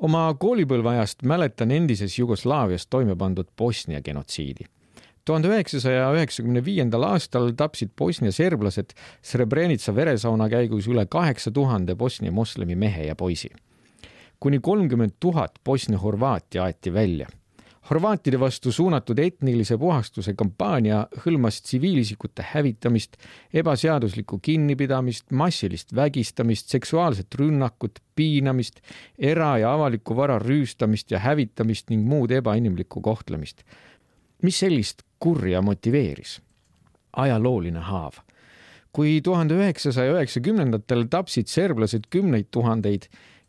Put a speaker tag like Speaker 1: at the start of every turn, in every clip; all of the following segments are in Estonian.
Speaker 1: Oma koolipõlveajast mäletan endises Jugoslaavias toime pandud Bosnia genotsiidi. 1995. aastal tapsid Bosnia serblased Srebrenica veresauna käigus üle 8000 Bosnia moslemi mehe ja poisi. Kuni 30 000 Bosnia horvaati aeti välja. Horvaatide vastu suunatud etnilise puhastuse kampaania hõlmas tsiviilisikute hävitamist, ebaseaduslikku kinnipidamist, massilist vägistamist, seksuaalset rünnakut, piinamist, era- ja avaliku vara rüüstamist ja hävitamist ning muud ebainimlikku kohtlemist. Mis sellist kurja motiveeris? Ajalooline haav. Kui 1990-ndatel tapsid serblased 10 000,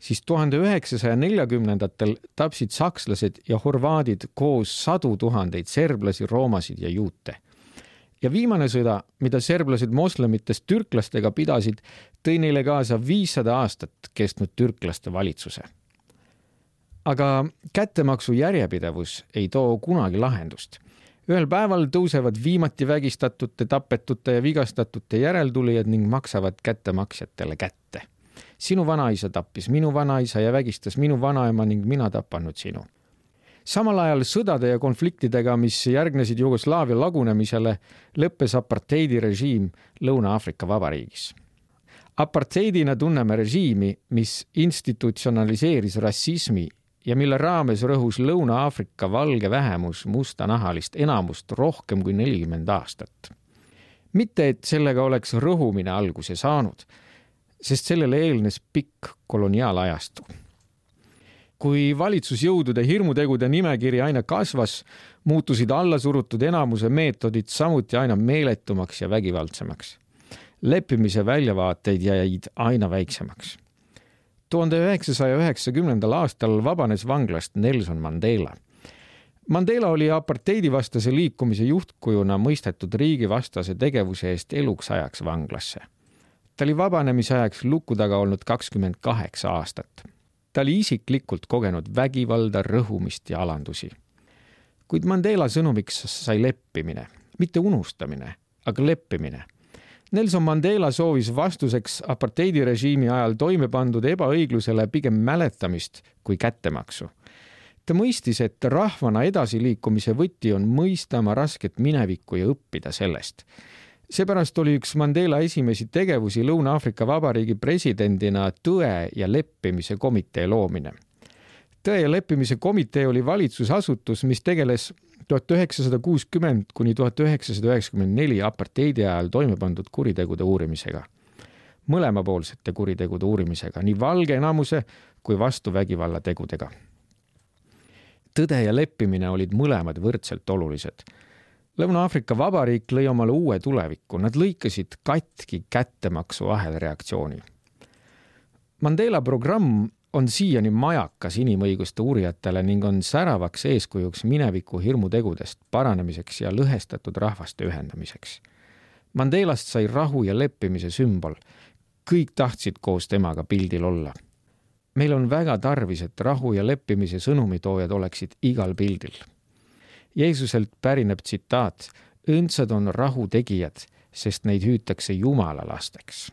Speaker 1: siis 1940-ndatel tapsid sakslased ja horvaadid koos 100 000 serblasi, roomasid ja juute. Ja viimane sõda, mida serblased moslemitest türklastega pidasid, tõi neile kaasa 500 aastat kestnud türklaste valitsuse. Aga kättemaksu järjepidevus ei too kunagi lahendust. Ühel päeval tõusevad viimati vägistatute, tapetute ja vigastatute järeltulijad ning maksavad kättemaksjatele kätte. Sinu vanaisa tappis minu vanaisa ja vägistas minu vanaema ning mina tapanud sinu. Samal ajal sõdade ja konfliktidega, mis järgnesid Jugoslaavia lagunemisele, lõppes apartheidirežiim Lõuna-Aafrika Vabariigis. Apartheidina tunneme režiimi, mis institutsionaliseeris rassismi ja mille raames rõhus Lõuna-Aafrika valge vähemus mustanahalist enamust rohkem kui 40 aastat. Mitte, et sellega oleks rõhumine alguse saanud, sest sellele eelnes pikk koloniaalajastu. Kui valitsusjõudude hirmutegude nimekiri aina kasvas, muutusid allasurutud enamuse meetodid samuti aina meeletumaks ja vägivaldsemaks. Leppimise väljavaateid jäid aina väiksemaks. 1990. aastal vabanes vanglast Nelson Mandela. Mandela oli apartheidivastase liikumise juhtkujuna mõistetud riigivastase tegevuse eest eluks ajaks vanglasse. Ta oli vabanemise ajaks luku taga olnud 28 aastat. Ta oli isiklikult kogenud vägivalda, rõhumist ja alandusi. Kuid Mandela sõnumiks sai leppimine, mitte unustamine, aga leppimine. Nelson Mandela soovis vastuseks apartheidirežiimi ajal toime pandud ebaõiglusele pigem mäletamist kui kättemaksu. Ta mõistis, et rahvana edasiliikumise võti on mõista oma rasket minevikku ja õppida sellest. Seepärast oli üks Mandela esimesi tegevusi Lõuna-Aafrika Vabariigi presidendina tõe ja leppimise komitee loomine. Tõe ja leppimise komitee oli valitsusasutus, mis tegeles 1960 kuni 1994 apartheidi ajal toime pandud kuritegude uurimisega. Mõlemapoolsete kuritegude uurimisega, nii valge enamuse kui vastuvägivalla tegudega. Tõde ja leppimine olid mõlemad võrdselt olulised. Lõuna-Aafrika Vabariik lõi omale uue tulevikku. Nad lõikasid katki kättemaksu ahelreaktsiooni. Mandela programm on siiani majakas inimõiguste uurijatele ning on säravaks eeskujuks mineviku hirmutegudest paranemiseks ja lõhestatud rahvaste ühendamiseks. Mandelast sai rahu ja leppimise sümbol. Kõik tahtsid koos temaga pildil olla. Meil on väga tarvis, et rahu ja leppimise sõnumitoojad oleksid igal pildil. Jeesuselt pärineb tsitaat: õndsad on rahu tegijad, sest neid hüütakse Jumala lasteks.